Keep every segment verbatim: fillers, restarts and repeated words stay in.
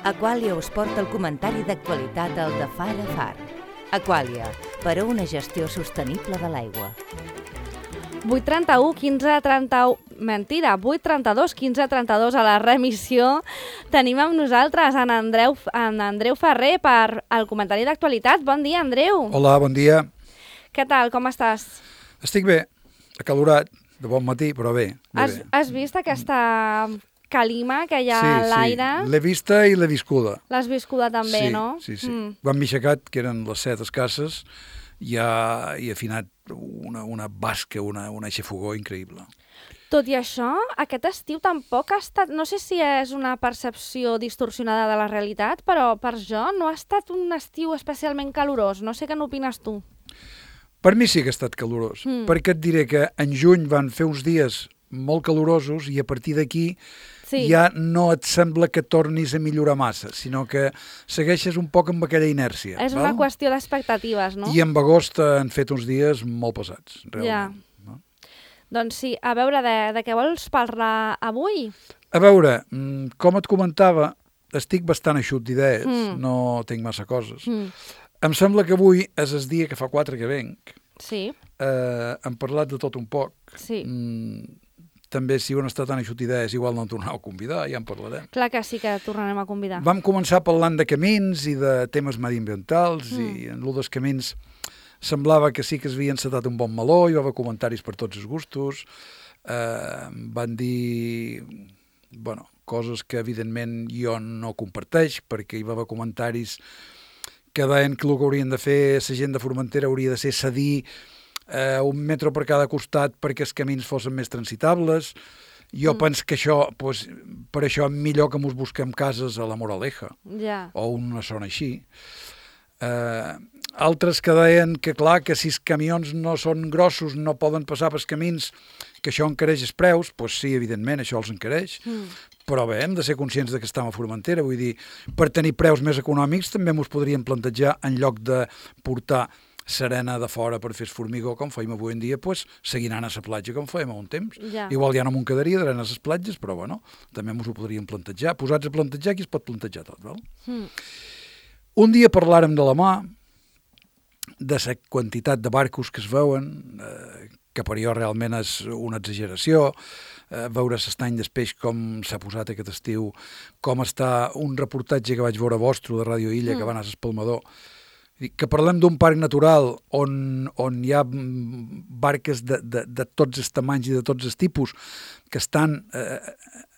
Aqualia us porta el comentari d'actualitat al de Far a Far. Aqualia, per a una gestió sostenible de l'aigua. vuit trenta-u, quinze trenta-u... Mentira, vuit trenta-dos, quinze trenta-dos a la remissió. Tenim amb nosaltres en Andreu, en Andreu Ferrer per al comentari d'actualitat. Bon dia, Andreu. Hola, bon dia. Què tal, com estàs? Estic bé, acalorat, de bon matí, però bé. bé has, bé. has vist aquesta calima que hi ha sí, a l'aire? Sí, l'he vista i l'he viscuda. L'has viscuda també, sí, no? Sí, sí. Mm. Quan m'he aixecat, que eren les set escasses, ja he afinat una, una basca, una, una aixafogó increïble. Tot i això, aquest estiu tampoc ha estat... No sé si és una percepció distorsionada de la realitat, però per jo no ha estat un estiu especialment calorós. No sé què n'opines tu. Per mi sí que ha estat calorós, mm. perquè et diré que en juny van fer uns dies molt calorosos i a partir d'aquí sí. ja no et sembla que tornis a millorar massa, sinó que segueixes un poc amb aquella inèrcia. És val? una qüestió d'expectatives, no? I en agost han fet uns dies molt pesats, realment. Ja. No? Doncs sí, a veure, de, de què vols parlar avui? A veure, com et comentava, estic bastant eixut d'idees, mm. no tinc massa coses. Mm. Em sembla que avui és el dia que fa quatre que venc. Sí. Eh, hem parlat de tot un poc. Sí. Mm, també si un està tan eixut d'idees, igual no em tornareu a convidar, ja en parlarem. Clar que sí que tornarem a convidar. Vam començar parlant de camins i de temes mediambientals mm. i en l'un dels camins semblava que sí que es havia encetat un bon meló, hi va haver comentaris per tots els gustos, eh, van dir bueno, coses que evidentment jo no comparteix, perquè hi va haver comentaris que deien que el que haurien de fer la gent de Formentera hauria de ser cedir eh, un metro per cada costat perquè els camins fossin més transitables. Jo mm. penso que això, pues, per això millor que mos busquem cases a la Moraleja, ja. o una zona així. Eh, altres que deien que clar, que si els camions no són grossos no poden passar pels camins, que això encareix els preus, doncs sí, evidentment, això els encareix, mm. però bé, hem de ser conscients de que estem a Formentera, vull dir, per tenir preus més econòmics també ens podríem plantejar, en lloc de portar serena de fora per fer formigó, com fèiem avui en dia, doncs seguir anant a la platja com fèiem a un temps. Ja. Igual ja no m'ho quedaria d'anar a les platges, però bueno, també ens ho podríem plantejar. Posats a plantejar, aquí es pot plantejar tot, val? Mm. Un dia parlàrem de la mà, de la quantitat de barcos que es veuen, eh, que per jo realment és una exageració, eh, veure l'estany d'espeix com s'ha posat aquest estiu, com està un reportatge que vaig veure vostre de Ràdio Illa, mm. que va anar a l'Espalmador, que parlem d'un parc natural on, on hi ha barques de, de, de tots els tamanys i de tots els tipus que estan eh,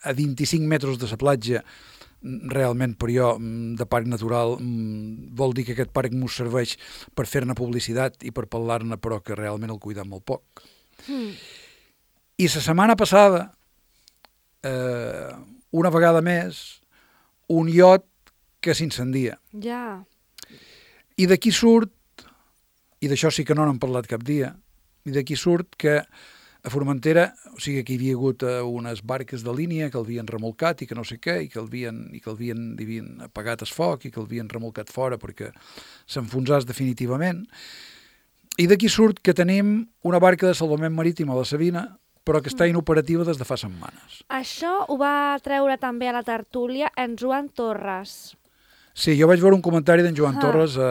a vint-i-cinc metres de la platja. Realment per jo de parc natural vol dir que aquest parc ens serveix per fer-ne publicitat i per parlar-ne, però que realment el cuidem molt poc. Mm. I la setmana passada, eh, una vegada més, un iot que s'incendia. Ja. I d'aquí surt, i d'això sí que no n'hem parlat cap dia, i d'aquí surt que a Formentera, o sigui que hi havia hagut unes barques de línia que l'havien remolcat i que no sé què, i que l'havien i que l'havien havien apagat el foc i que l'havien remolcat fora perquè s'enfonsàs definitivament. I d'aquí surt que tenim una barca de salvament marítim a la Sabina, però que està inoperativa des de fa setmanes. Això ho va treure també a la tertúlia en Joan Torres. Sí, jo vaig veure un comentari d'en Joan ah. Torres a...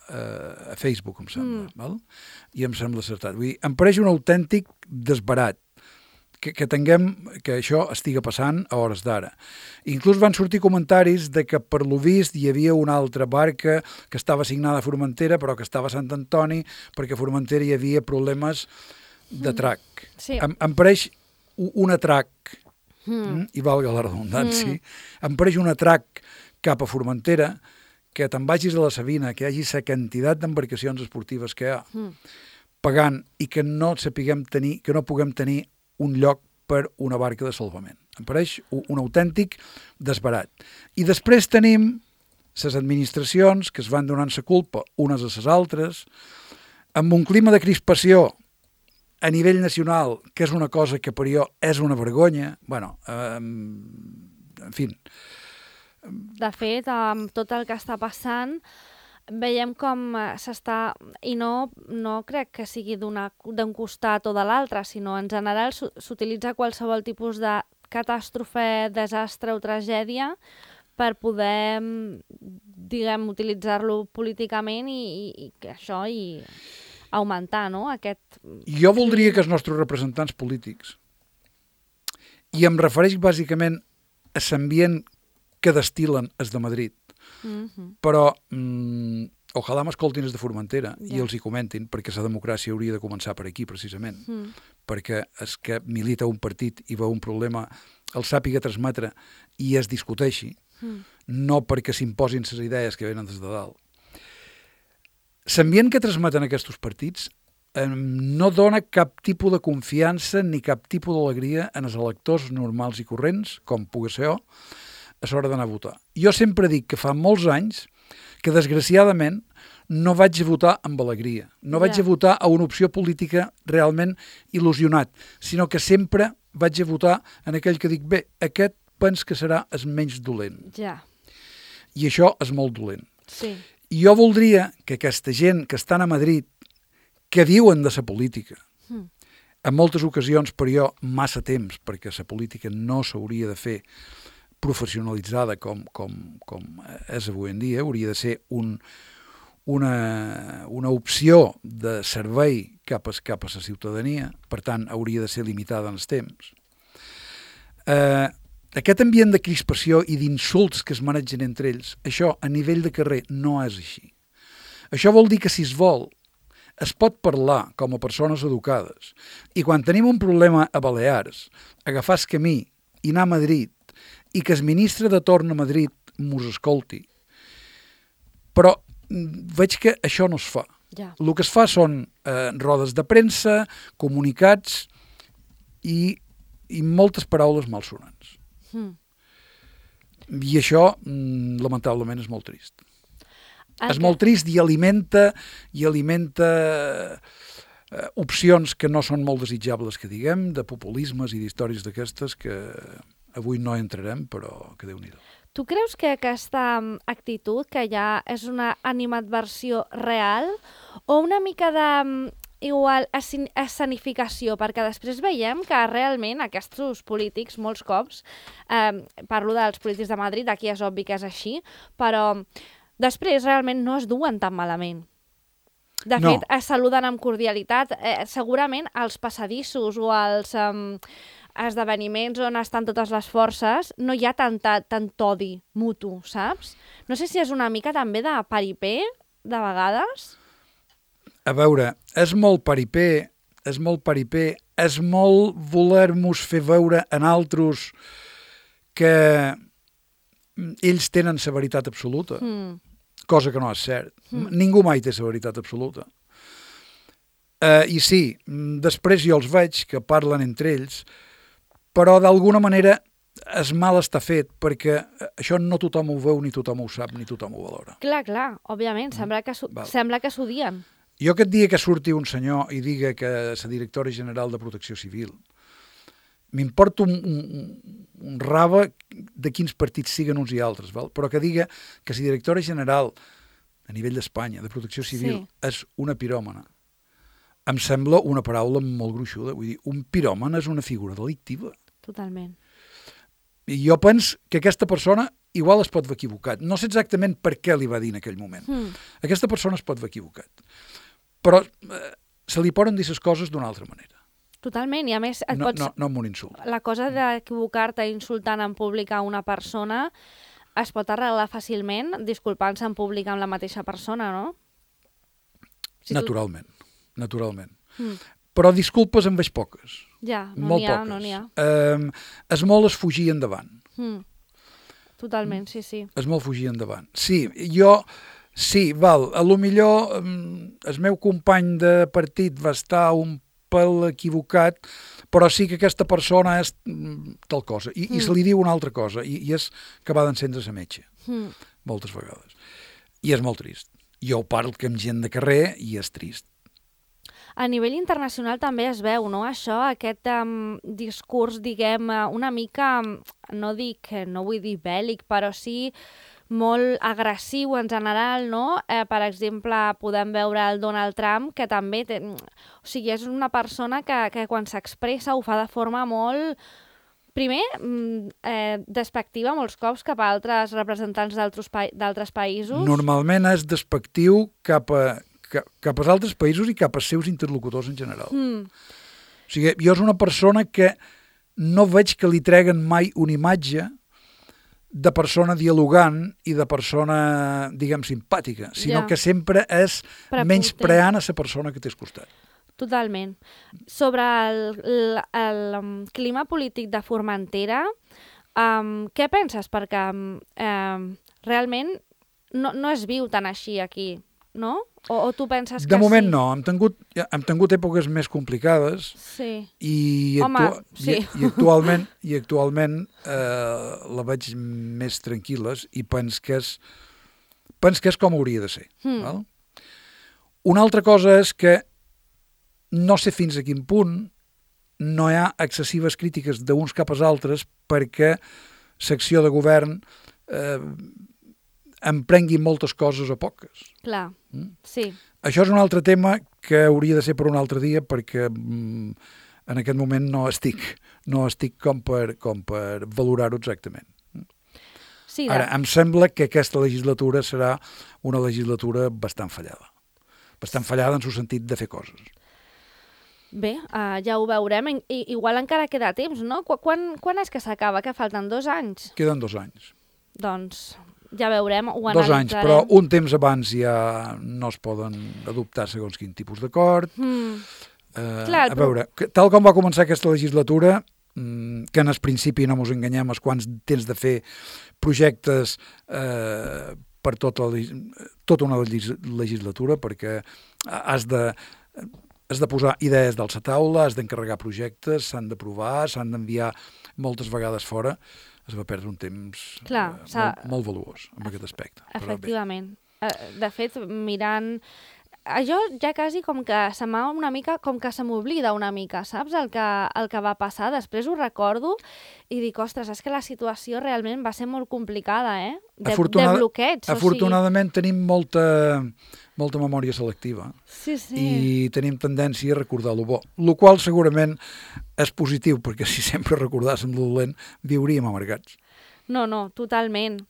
a Facebook, em sembla, mm. val? I em sembla acertat. Vull dir, em pareix un autèntic desbarat que, que tinguem, que això estiga passant a hores d'ara. Inclús van sortir comentaris de que per lo vist hi havia una altra barca que estava assignada a Formentera però que estava a Sant Antoni perquè a Formentera hi havia problemes de trac. Mm. Sí. Em, em pareix un atrac, mm. i valga la redundància, mm. em pareix un atrac cap a Formentera que te'n vagis a la Sabina, que hi hagi la quantitat d'embarcacions esportives que hi ha, mm. pagant i que no sapiguem tenir, que no puguem tenir un lloc per una barca de salvament. Em pareix un autèntic desbarat. I després tenim les administracions que es van donant la culpa unes a les altres, amb un clima de crispació a nivell nacional, que és una cosa que per jo és una vergonya, bueno, eh, en fi. De fet, amb tot el que està passant, veiem com s'està, i no, no crec que sigui d'un costat o de l'altre, sinó en general s'utilitza qualsevol tipus de catàstrofe, desastre o tragèdia per poder, diguem, utilitzar-lo políticament i, i, i que això i augmentar, no? Aquest... Jo voldria que els nostres representants polítics, i em refereix bàsicament a l'ambient que destil·len els de Madrid, mm-hmm. però mm, ojalà m'escoltin els de Formentera ja. I els hi comentin, perquè la democràcia hauria de començar per aquí, precisament, mm. perquè és que milita un partit i veu un problema, el sàpiga transmetre i es discuteixi, mm. no perquè s'imposin les idees que venen des de dalt. L'ambient que transmeten aquests partits eh, no dona cap tipus de confiança ni cap tipus d'alegria en els electors normals i corrents, com pugui ser jo, a l'hora d'anar a votar. Jo sempre dic que fa molts anys que, desgraciadament, no vaig a votar amb alegria. No vaig ja. a votar a una opció política realment il·lusionat, sinó que sempre vaig a votar en aquell que dic, bé, aquest pens que serà el menys dolent. Ja. I això és molt dolent. Sí. I jo voldria que aquesta gent que estan a Madrid, que viuen de la política, mm. en moltes ocasions, per jo, massa temps, perquè la política no s'hauria de fer professionalitzada com, com, com és avui en dia, hauria de ser un, una, una opció de servei cap a, cap a la ciutadania, per tant, hauria de ser limitada en els temps. Eh, Aquest ambient de crispació i d'insults que es manegen entre ells, això a nivell de carrer no és així. Això vol dir que si es vol, es pot parlar com a persones educades i quan tenim un problema a Balears, agafar el camí i anar a Madrid i que el ministre de torn a Madrid mos escolti. Però veig que això no es fa. Ja. El que es fa són eh, rodes de premsa, comunicats i, i moltes paraules malsonants. Mm. I això, mm, lamentablement, és molt trist. Okay. És molt trist i alimenta, i alimenta eh, opcions que no són molt desitjables, que diguem, de populismes i d'històries d'aquestes que avui no entrarem, però que Déu-n'hi-do. Tu creus que aquesta actitud que ja és una animadversió real o una mica de... igual escenificació, perquè després veiem que realment aquests polítics, molts cops, eh, parlo dels polítics de Madrid, aquí és obvi que és així, però després realment no es duen tan malament. De no. fet, es saluden amb cordialitat. Eh, segurament als passadissos o als eh, esdeveniments on estan totes les forces no hi ha tanta, tant odi mutu, saps? No sé si és una mica també de paripé, de vegades... A veure, és molt paripé, és molt paripé, és molt voler-nos fer veure en altres que ells tenen la veritat absoluta, mm. cosa que no és cert. Mm. Ningú mai té la veritat absoluta. Uh, I sí, després jo els veig que parlen entre ells, però d'alguna manera el mal està fet, perquè això no tothom ho veu, ni tothom ho sap, ni tothom ho valora. Clar, clar, òbviament, sembla que sembla que s'odien. Jo aquest dia que surti un senyor i diga que la directora general de Protecció Civil m'importa un, un, un rave de quins partits siguen uns i altres, val? Però que diga que la directora general a nivell d'Espanya de Protecció Civil sí. és una piròmana. Em sembla una paraula molt gruixuda. Vull dir, un piròman és una figura delictiva. Totalment. I jo penso que aquesta persona igual es pot haver equivocat. No sé exactament per què li va dir en aquell moment. Mm. Aquesta persona es pot haver equivocat. Però eh, se li poden dir les coses d'una altra manera. Totalment, i a més... Et no, pots... no, no amb un insult. La cosa d'equivocar-te insultant en públic a una persona es pot arreglar fàcilment disculpant-se en públic amb la mateixa persona, no? Si naturalment, tu... naturalment. Mm. Però disculpes en veig poques. Ja, no n'hi ha, poques. no n'hi ha. Eh, és molt es fugir endavant. Mm. Totalment, sí, sí. És molt fugir endavant. Sí, jo... Sí, val, a lo millor el meu company de partit va estar un pèl equivocat, però sí que aquesta persona és tal cosa, i, mm. i se li diu una altra cosa, i, i és que va d'encendre la metge, mm. moltes vegades. I és molt trist. Jo parlo que amb gent de carrer i és trist. A nivell internacional també es veu, no?, això, aquest um, discurs, diguem, una mica, no dic, no vull dir bèl·lic, però sí molt agressiu en general, no? Eh, per exemple, podem veure el Donald Trump, que també té... O sigui, és una persona que, que quan s'expressa ho fa de forma molt primer, eh, despectiva molts cops cap a altres representants d'altres pa països. Normalment és despectiu cap a, cap, cap als altres països i cap als seus interlocutors en general. Mm. O sigui, jo és una persona que no veig que li treguen mai una imatge de persona dialogant i de persona, diguem, simpàtica, sinó ja. que sempre és menyspreant a la persona que té al costat. Totalment. Sobre el, el, el, el clima polític de Formentera, um, què penses? Perquè um, realment no, no es viu tan així aquí, no? O, o tu penses que de moment sí? no, hem tingut, hem tingut èpoques més complicades sí. i, Home, actua sí. i, i actualment, i actualment eh, la veig més tranquil·les i pens que és, pens que és com hauria de ser. Hmm. Val? Una altra cosa és que no sé fins a quin punt no hi ha excessives crítiques d'uns cap als altres perquè l'acció de govern eh, emprengui moltes coses o poques. Clar, mm? sí. Això és un altre tema que hauria de ser per un altre dia perquè mm, en aquest moment no estic, no estic com per, com per valorar-ho exactament. Sí, Ara, em sembla que aquesta legislatura serà una legislatura bastant fallada. Bastant fallada en el sentit de fer coses. Bé, uh, ja ho veurem. I, igual encara queda temps, no? Quan, quan és que s'acaba? Que falten dos anys? Queden dos anys. Doncs ja veurem, ho analitzarem. Dos anys, però un temps abans ja no es poden adoptar segons quin tipus d'acord. Mm. Eh, Clar, a veure, però... tal com va començar aquesta legislatura, que en el principi, no mos enganyem, és quan tens de fer projectes eh, per tota, tota una legislatura, perquè has de... has de posar idees dalt la taula, has d'encarregar projectes, s'han d'aprovar, s'han d'enviar moltes vegades fora. Es va perdre un temps Clar, eh, molt, molt valuós en aquest aspecte. Efectivament. De fet, mirant... Jo ja quasi com que se m'ha una mica, com que se m'oblida una mica, saps? El que, el que va passar. Després ho recordo i dic, ostres, és que la situació realment va ser molt complicada, eh? De, Afortunada, de bloqueig. Afortunadament o sigui... tenim molta, molta memòria selectiva. Sí, sí. I tenim tendència a recordar lo bo. Lo qual segurament és positiu, perquè si sempre recordàssim lo dolent, viuríem amargats. No, no, totalment.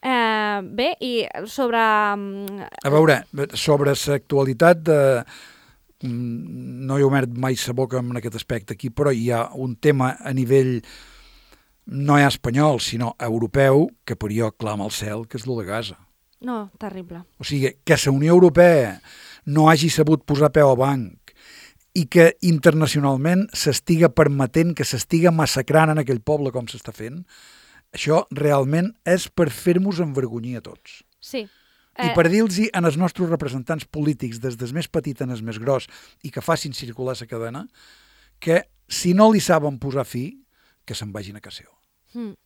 Uh, bé, i sobre... A veure, sobre l'actualitat de... No he obert mai sa boca en aquest aspecte aquí, però hi ha un tema a nivell no ja espanyol, sinó europeu, que per jo clama al cel, que és lo de Gaza. No, terrible. O sigui, que la Unió Europea no hagi sabut posar peu a banc i que internacionalment s'estiga permetent que s'estiga massacrant en aquell poble com s'està fent, això realment és per fer-nos envergonyir a tots. Sí. Eh... I per dir-los als nostres representants polítics, des del més petit en el més gros, i que facin circular la cadena, que si no li saben posar fi, que se'n vagin a casa seva. Mm.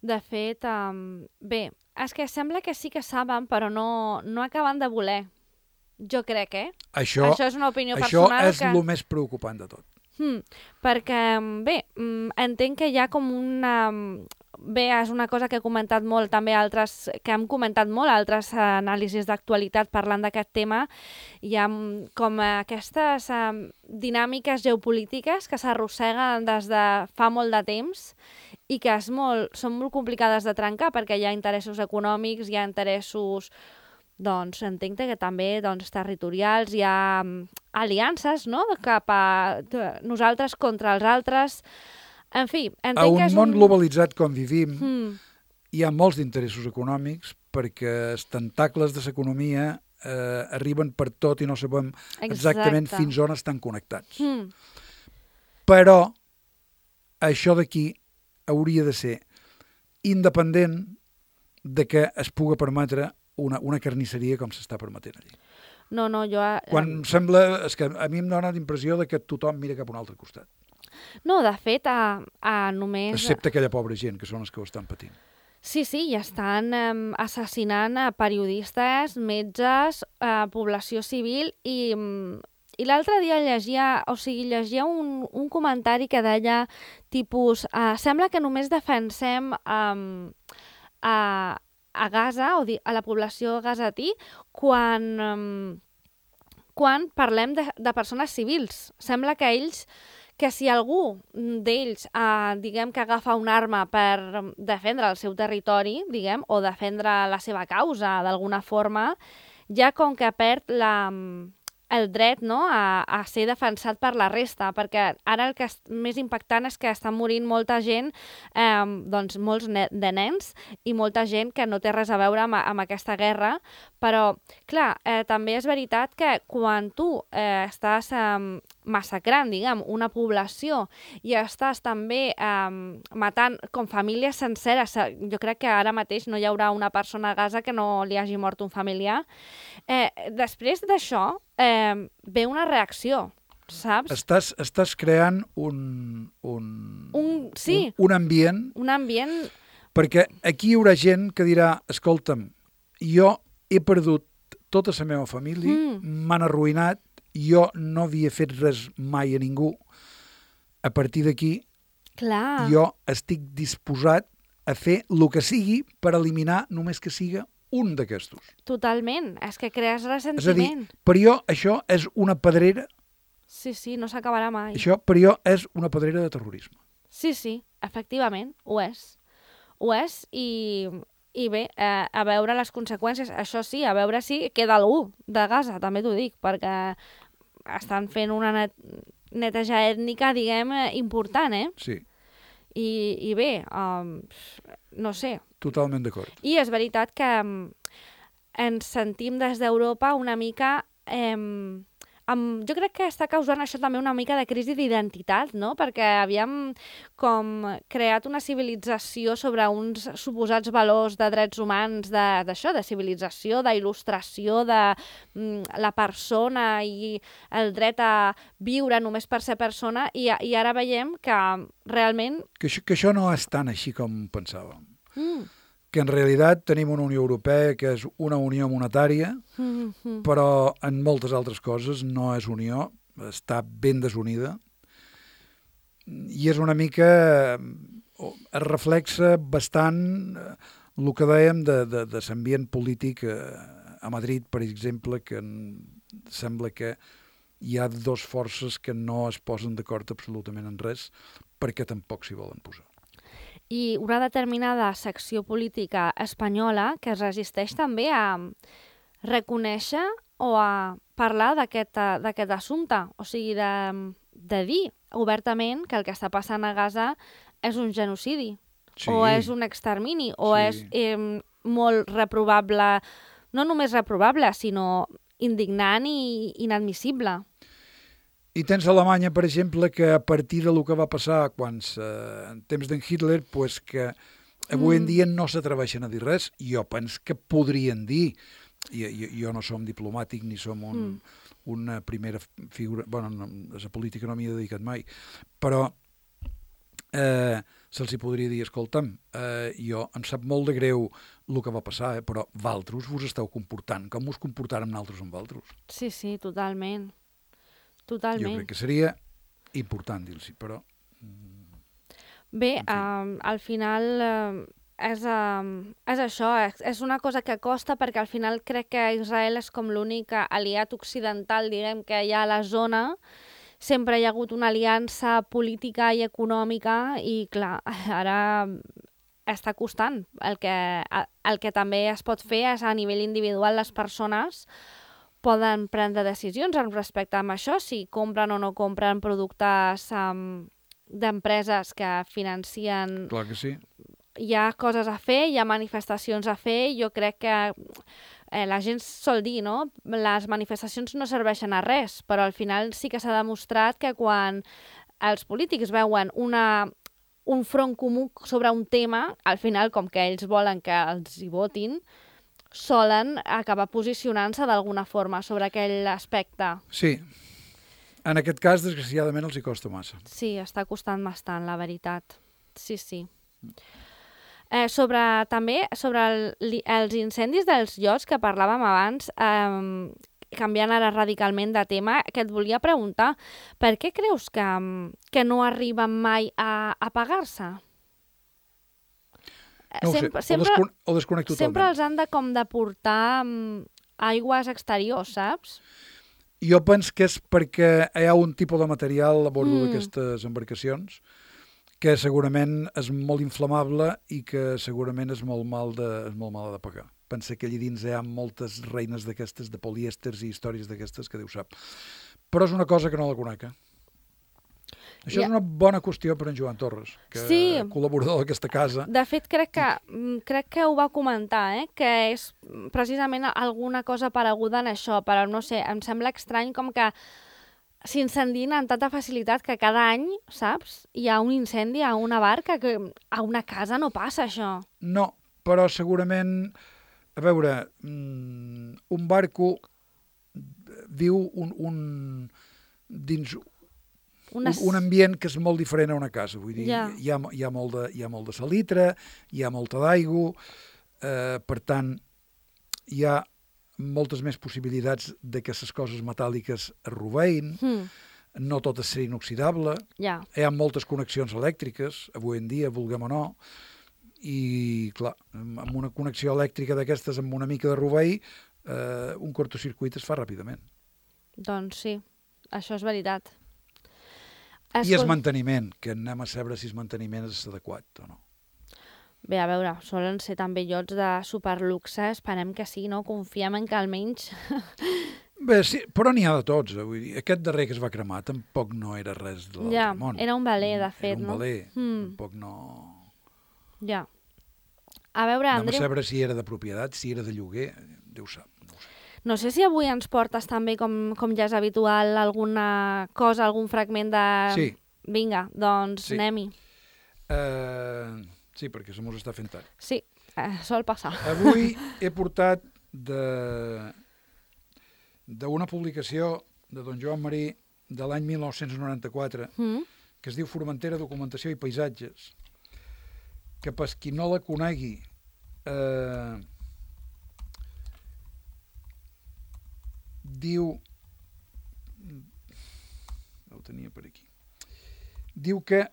De fet, um, bé, és que sembla que sí que saben, però no, no acaben de voler. Jo crec, eh? Això, això és una opinió això personal. Això és que... el més preocupant de tot. Mm, perquè, bé, entenc que hi ha com una... Bé, és una cosa que he comentat molt, també altres, que hem comentat molt, altres anàlisis d'actualitat parlant d'aquest tema. Hi ha com aquestes um, dinàmiques geopolítiques que s'arrosseguen des de fa molt de temps i que és molt, són molt complicades de trencar perquè hi ha interessos econòmics, hi ha interessos... Doncs entenc que també doncs, territorials, hi ha um, aliances, no?, cap a nosaltres contra els altres. En fi, entenc a un que és món un... globalitzat com vivim, mm. hi ha molts d'interessos econòmics perquè els tentacles de l'economia eh, arriben per tot i no sabem exactament Exacte. fins on estan connectats. Mm. Però això d'aquí hauria de ser independent de que es puga permetre una, una carnisseria com s'està permetent allí. No, no, jo... Quan eh... sembla... És que a mi em dona la impressió de que tothom mira cap a un altre costat. No, de fet, a, a només... Excepte aquella pobra gent, que són els que ho estan patint. Sí, sí, i estan eh, assassinant a periodistes, metges, a població civil i... I l'altre dia llegia, o sigui, llegia un, un comentari que deia, tipus, eh, sembla que només defensem eh, a, a Gaza, o a la població gazatí, quan, um, quan parlem de, de persones civils. Sembla que ells, que si algú d'ells, eh, diguem que agafa una arma per defendre el seu territori, diguem, o defendre la seva causa d'alguna forma, ja com que perd la, el dret, no?, a, a ser defensat per la resta, perquè ara el que és més impactant és que estan morint molta gent, eh, doncs molts ne de nens i molta gent que no té res a veure amb, amb aquesta guerra, però, clar, eh, també és veritat que quan tu eh, estàs eh, massacrant, diguem, una població i estàs també eh, matant com famílies senceres, jo crec que ara mateix no hi haurà una persona a Gaza que no li hagi mort un familiar, eh, després d'això eh, ve una reacció, saps? Estàs, estàs creant un, un, un, sí, un, un ambient... Un ambient... Perquè aquí hi haurà gent que dirà, escolta'm, jo he perdut tota la meva família, m'han mm. arruïnat, jo no havia fet res mai a ningú. A partir d'aquí, jo estic disposat a fer el que sigui per eliminar només que siga un d'aquestos. Totalment, és que crees ressentiment. És a dir, per jo això és una pedrera... Sí, sí, no s'acabarà mai. Això per jo és una pedrera de terrorisme. Sí, sí, efectivament, ho és. Ho és i, i bé, eh, a veure les conseqüències, això sí, a veure si queda algú de Gaza, també t'ho dic, perquè estan fent una net neteja ètnica, diguem, important, eh? Sí. I, i bé, um, no sé. Totalment d'acord. I és veritat que um, ens sentim des d'Europa una mica... Eh, Um, jo crec que està causant això també una mica de crisi d'identitat, no? Perquè havíem com creat una civilització sobre uns suposats valors de drets humans, d'això, de, de civilització, d'il·lustració de mm, la persona i el dret a viure només per ser persona, i, i ara veiem que realment... Que això, que això no és tan així com pensàvem. Mm. Que en realitat tenim una Unió Europea que és una unió monetària, mm-hmm. però en moltes altres coses no és unió, està ben desunida, i és una mica... es reflexa bastant el que dèiem de, de, de l'ambient polític a Madrid, per exemple, que sembla que hi ha dues forces que no es posen d'acord absolutament en res, perquè tampoc s'hi volen posar. I una determinada secció política espanyola que es resisteix també a reconèixer o a parlar d'aquest assumpte, o sigui, de, de dir obertament que el que està passant a Gaza és un genocidi, sí. o és un extermini, o sí. és eh, molt reprovable, no només reprovable, sinó indignant i inadmissible. I tens Alemanya, per exemple, que a partir del que va passar quan en temps d'en Hitler, pues que avui mm. en dia no s'atreveixen a dir res. Jo penso que podrien dir. Jo, jo, jo no som diplomàtic ni som un, mm. una primera figura... Bueno, no, a la política no m'hi he dedicat mai. Però eh, se'ls hi podria dir, escolta'm, eh, jo em sap molt de greu el que va passar, eh, però vosaltres vos esteu comportant com us comportàrem nosaltres amb vosaltres. Sí, sí, totalment. Totalment. Jo crec que seria important dir-los, però... Bé, um, al final uh, és, um, és això, és, és una cosa que costa perquè al final crec que Israel és com l'únic aliat occidental, diguem, que hi ha a la zona. Sempre hi ha hagut una aliança política i econòmica i, clar, ara està costant. El que, el que també es pot fer és a nivell individual les persones poden prendre decisions en respecte a això, si compren o no compren productes um, d'empreses que financien... Clar que sí. Hi ha coses a fer, hi ha manifestacions a fer, jo crec que eh, la gent sol dir, no? Les manifestacions no serveixen a res, però al final sí que s'ha demostrat que quan els polítics veuen una, un front comú sobre un tema, al final, com que ells volen que els hi votin, solen acabar posicionant-se d'alguna forma sobre aquell aspecte. Sí. En aquest cas, desgraciadament, els hi costa massa. Sí, està costant bastant, la veritat. Sí, sí. Eh, sobre, també, sobre el, els incendis dels llocs que parlàvem abans, eh, canviant ara radicalment de tema, que et volia preguntar, per què creus que, que no arriben mai a apagar-se? No ho sé, sempre, sempre, o, descon o desconec totalment. Sempre els han de com de portar um, aigües exteriors, saps? Jo penso que és perquè hi ha un tipus de material a bord Mm. d'aquestes embarcacions que segurament és molt inflamable i que segurament és molt mal de, és molt mal de pagar. Pensa que allà dins hi ha moltes reines d'aquestes, de polièsters i històries d'aquestes que Déu sap. Però és una cosa que no la conec. Eh? Això Ja. és una bona qüestió per en Joan Torres, que Sí. col·laborador d'aquesta casa. De fet, crec que, mm, crec que ho va comentar, eh? que és precisament alguna cosa pareguda en això, però no sé, em sembla estrany com que s'incendien amb tanta facilitat que cada any, saps, hi ha un incendi a una barca, que a una casa no passa això. No, però segurament, a veure, mm, un barco viu un, un, dins Una... un, un ambient que és molt diferent a una casa. Vull dir, Ja. hi, ha, hi, ha molt de, hi ha molt de salitre, hi ha molta d'aigua, eh, per tant, hi ha moltes més possibilitats de que les coses metàl·liques es rovein, Mm, no tot és ser inoxidable, ja. hi ha moltes connexions elèctriques, avui en dia, vulguem o no, i, clar, amb una connexió elèctrica d'aquestes amb una mica de rovell, eh, un cortocircuit es fa ràpidament. Doncs sí, això és veritat. I el manteniment, que anem a saber si el manteniment és adequat o no. Bé, a veure, solen ser també llots de superluxe, esperem que sí, no? Confiem en que almenys... Bé, sí, però n'hi ha de tots. Eh? Vull dir, aquest darrer que es va cremar tampoc no era res de l'altre Ja, món. era un veler, de fet, era un no? veler, Mm. tampoc no... Ja. A veure, Anem a Andreu, saber si era de propietat, si era de lloguer, Déu sap. No ho sé. no sé si avui ens portes també, com, com ja és habitual, alguna cosa, algun fragment de... Sí. Vinga, doncs Sí. anem-hi. Uh, sí, perquè se mos està fent tard. Sí, eh, sol passar. Avui he portat de d'una publicació de don Joan Marí de l'any mil nou-cents noranta-quatre Mm? que es diu Formentera, Documentació i Paisatges, que per qui no la conegui eh, diu ho tenia per aquí diu que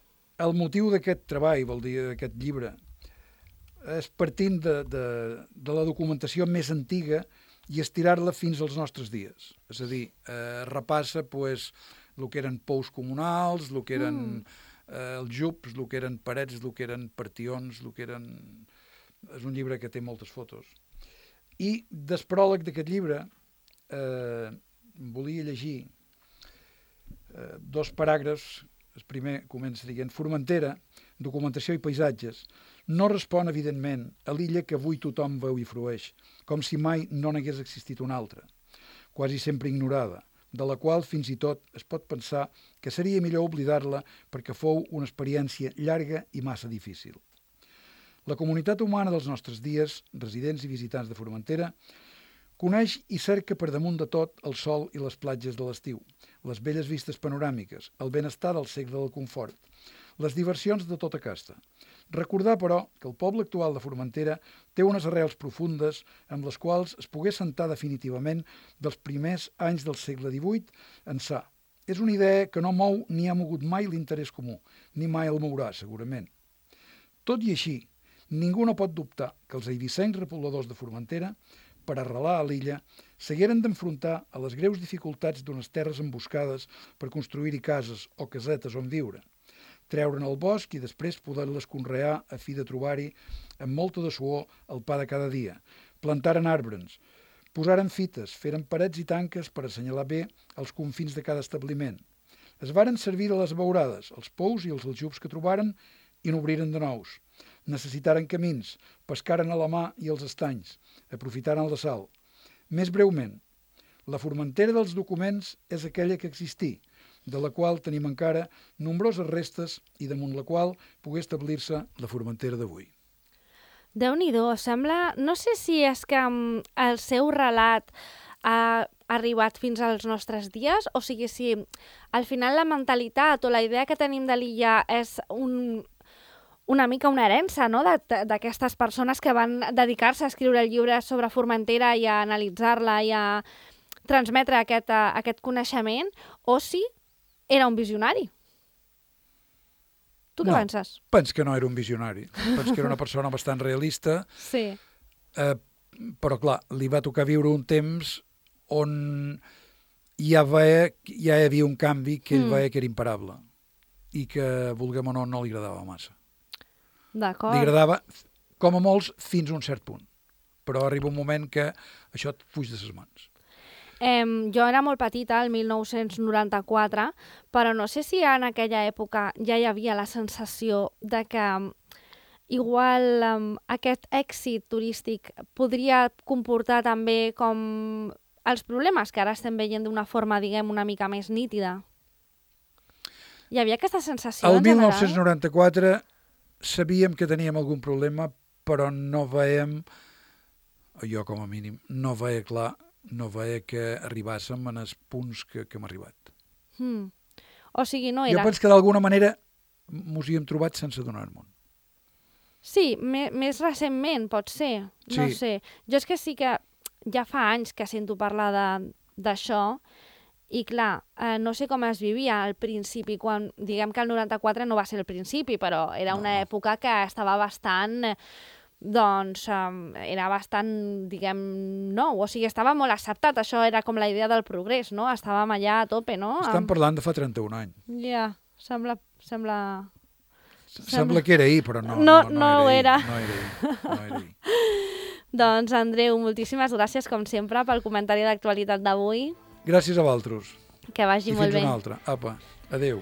el motiu d'aquest treball, vol dir d'aquest llibre, és partint de, de, de la documentació més antiga i estirar-la fins als nostres dies. És a dir, eh, repassa pues, el que eren pous comunals, el que eren mm. eh, els jups, el que eren parets, el que eren partions, el que eren... És un llibre que té moltes fotos. I del pròleg d'aquest llibre eh, volia llegir eh, dos paràgrafs. El primer comença dient: Formentera, documentació i paisatges, no respon, evidentment, a l'illa que avui tothom veu i frueix, com si mai no n'hagués existit una altra, quasi sempre ignorada, de la qual fins i tot es pot pensar que seria millor oblidar-la perquè fou una experiència llarga i massa difícil. La comunitat humana dels nostres dies, residents i visitants de Formentera, coneix i cerca per damunt de tot el sol i les platges de l'estiu, les belles vistes panoràmiques, el benestar del segle del confort, les diversions de tota casta. Recordar, però, que el poble actual de Formentera té unes arrels profundes amb les quals es pogués sentar definitivament dels primers anys del segle divuit ençà. És una idea que no mou ni ha mogut mai l'interès comú, ni mai el mourà, segurament. Tot i així, ningú no pot dubtar que els eivissencs repobladors de Formentera, per arrelar a l'illa, s'hagueren d'enfrontar a les greus dificultats d'unes terres emboscades per construir-hi cases o casetes on viure, treure'n el bosc i després poder-les conrear a fi de trobar-hi, amb molta de suor, el pa de cada dia, plantaren arbres, posaren fites, feren parets i tanques per assenyalar bé els confins de cada establiment. Es varen servir de les abeurades, els pous i els aljubs que trobaren i n'obriren de nous. Necessitaren camins, pescaren a la mà i els estanys, aprofitaren la sal. Més breument, la Formentera dels documents és aquella que existí, de la qual tenim encara nombroses restes i damunt la qual pogué establir-se la Formentera d'avui. Déu-n'hi-do, sembla... No sé si és que um, el seu relat ha arribat fins als nostres dies, o sigui, si al final la mentalitat o la idea que tenim de l'illa és un, una mica una herència, no?, d'aquestes persones que van dedicar-se a escriure el llibre sobre Formentera i a analitzar-la i a transmetre aquest, uh, aquest coneixement, o si era un visionari. Tu què no, penses? Penso que no era un visionari. Penso que era una persona bastant realista. Sí. Eh, però, clar, li va tocar viure un temps on ja, veia, ja hi havia un canvi que ell Mm. veia que era imparable i que, vulguem o no, no li agradava massa. D'acord. Li agradava, com a molts, fins a un cert punt. Però arriba un moment que això et fuig de ses mans. Em, jo era molt petita, el mil nou-cents noranta-quatre, però no sé si en aquella època ja hi havia la sensació de que em, igual um, aquest èxit turístic podria comportar també com els problemes que ara estem veient d'una forma, diguem, una mica més nítida. Hi havia aquesta sensació El en general? mil nou-cents noranta-quatre sabíem que teníem algun problema, però no veiem, jo com a mínim, no veia clar, no veia que arribàssim en els punts que, que hem arribat. Hmm. O sigui, no Jo era... penso que d'alguna manera mos hi hem trobat sense donar-nos. Sí, me, més recentment, pot ser. No Sí. sé. Jo és que sí que ja fa anys que sento parlar de- d'això i, clar, eh, no sé com es vivia al principi, quan diguem que el noranta-quatre no va ser el principi, però era una No. època que estava bastant... eh, doncs um, era bastant, diguem, nou. O sigui, estava molt acceptat. Això era com la idea del progrés, no? Estàvem allà a tope, no? Estem Amb- parlant de fa trenta-un anys. Ja, sembla... sembla... Sembla que era ahir, però no, No, no, no, no ho era. era. ahir, No era ahir. No era ahir. Doncs, Andreu, moltíssimes gràcies, com sempre, pel comentari d'actualitat d'avui. Gràcies a vosaltres. Que vagi I molt fins bé. una altra. Apa, adéu.